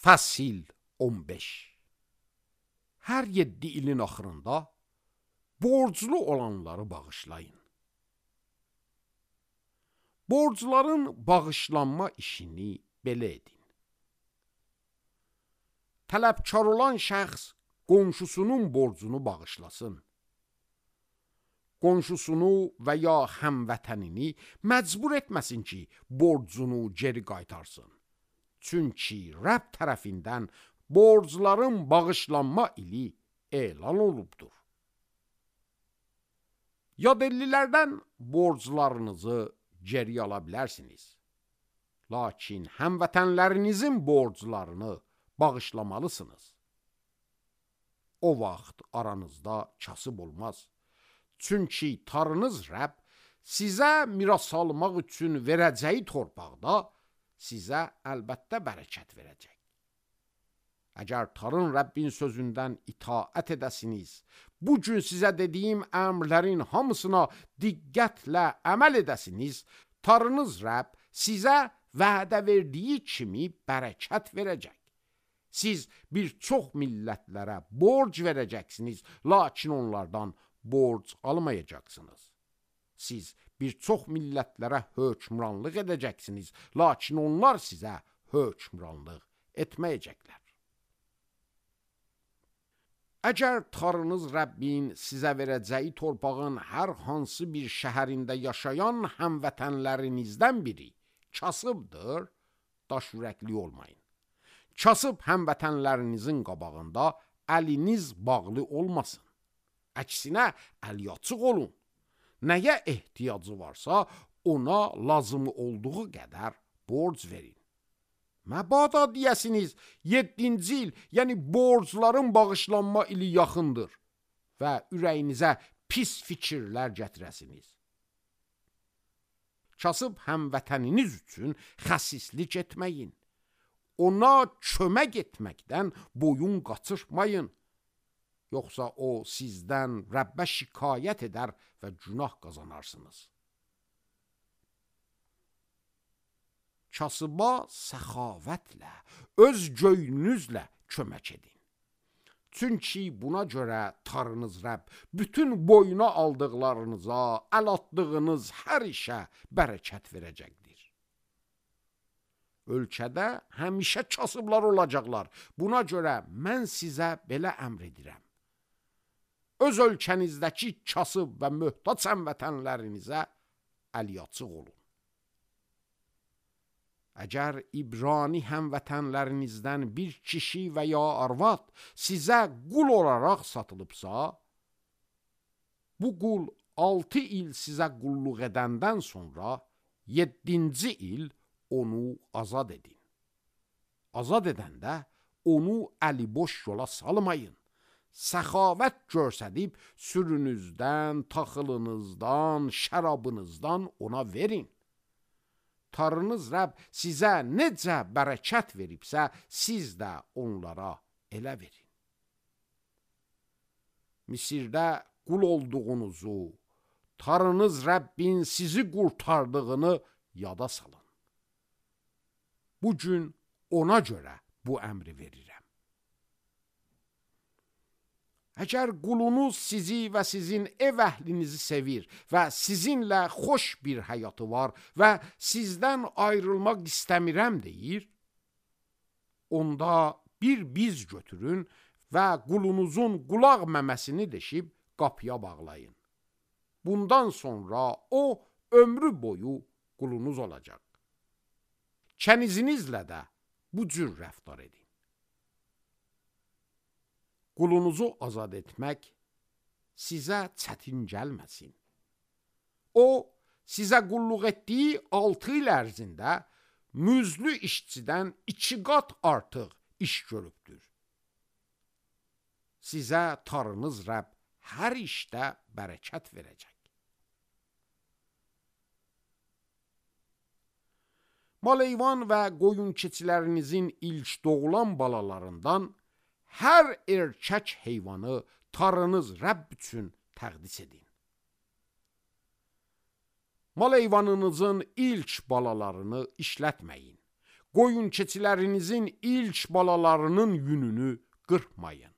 Fəsil 15. Hər 7 ilin axırında borclu olanları bağışlayın. Borcların bağışlanma işini belə edin. Tələbkar olan şəxs qonşusunun borcunu bağışlasın. Qonşusunu və ya həmvətənini məcbur etməsin ki, borcunu geri qaytarsın. Çünki Rəbb tərəfindən borcların bağışlanma ili elan olubdur. Yadellilərdən borclarınızı geri ala bilərsiniz. Lakin həmvətənlərinizin borclarını bağışlamalısınız. O vaxt aranızda kasıb olmaz. Çünki Tanrınız Rəbb sizə miras almaq üçün verəcəyi torpaqda sizə əlbəttə bərəkət verəcək. Əgər Tanrın Rəbbin sözündən itaət edəsiniz, bugün sizə dediyim əmrlərin hamısına diqqətlə əməl edəsiniz, Tanrınız Rəbb sizə vədə verdiyi kimi bərəkət verəcək. Siz bir çox millətlərə borc verəcəksiniz, lakin onlardan borc almayacaqsınız. Siz bir çox millətlərə hökmranlıq edəcəksiniz, lakin onlar sizə hökmranlıq etməyəcəklər. Əgər Tanrınız Rəbbin sizə verəcəyi torpağın hər hansı bir şəhərində yaşayan həmvətənlərinizdən biri kasıbdır, daş ürəkli olmayın. Kasıb həmvətənlərinizin qabağında əliniz bağlı olmasın. Əksinə, əli açıq olun. Nəyə ehtiyacı varsa, ona lazım olduğu qədər borc verin. Məbada deyəsiniz, 7-ci il, yəni borcların bağışlanma ili yaxındır və ürəyinizə pis fikirlər gətirəsiniz. Kasıb həmvətəniniz üçün xəsislik etməyin. Ona kömək etməkdən boyun qaçırmayın. Yoxsa o sizdən Rəbbə şikayət edər və günah qazanarsınız. Kasıba səxavətlə, öz göynünüzlə kömək edin. Çünki buna görə Tanrınız Rəbb bütün boyuna aldıqlarınıza, əl atdığınız hər işə bərəkət verəcəkdir. Ölkədə həmişə kasıblar olacaqlar. Buna görə mən sizə belə əmr edirəm. Öz ölkənizdəki kasıb və möhtac həmvətənlərinizə əli açıq olun. Əgər İbrani həmvətənlərinizdən bir kişi və ya arvad sizə qul olaraq satılıbsa, bu qul 6 il sizə qulluq edəndən sonra 7-ci il onu azad edin. Azad edəndə onu əliboş yola salmayın. Səxavət göstərib sürünüzdən, taxılınızdan, şərabınızdan ona verin. Tanrınız Rəbb sizə necə bərəkət veribsə, siz də onlara elə verin. Misirdə qul olduğunuzu, Tanrınız Rəbbin sizi qurtardığını yada salın. Bugün ona görə bu əmri verirəm. Əgər qulunuz sizi və sizin ev əhlinizi sevir və sizinlə xoş bir həyatı var və sizdən ayrılmaq istəmirəm deyir, onda bir biz götürün və qulunuzun qulaq məməsini deşib qapıya bağlayın. Bundan sonra o ömrü boyu qulunuz olacaq. Kənizinizlə də bu cür rəftar edin. Qulunuzu azad etmək sizə çətin gəlməsin. O, sizə qulluq etdiyi 6 il ərzində müzlü işçidən 2 qat artıq iş görübdür. Sizə Tanrınız Rəbb hər işdə bərəkət verəcək. Mal-heyvan və qoyun keçilərinizin ilk doğulan balalarından hər erkək heyvanı Tanrınız Rəbb üçün təqdis edin. Mal heyvanınızın ilk balalarını işlətməyin. qoyun keçilərinizin ilk balalarının yününü qırpmayın.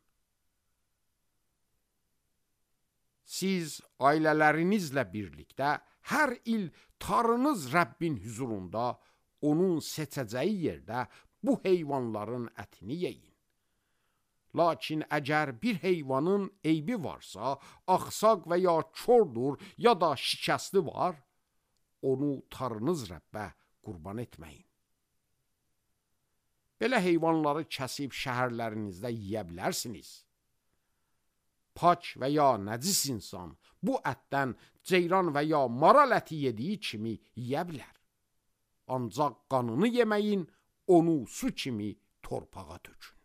Siz ailələrinizlə birlikdə hər il Tanrınız Rəbbin huzurunda onun seçəcəyi yerdə bu heyvanların ətini yeyin. Lakin əgər bir heyvanın eybi varsa, axsaq və ya kordur, ya da şikəsti var, onu Tanrınız Rəbbə qurban etməyin. Belə heyvanları kəsib şəhərlərinizdə yeyə bilərsiniz. Pak və ya nəcis insan bu ətdən ceyran və ya maral əti yediyi kimi yeyə bilər. Ancaq qanını yeməyin, onu su kimi torpağa tökün.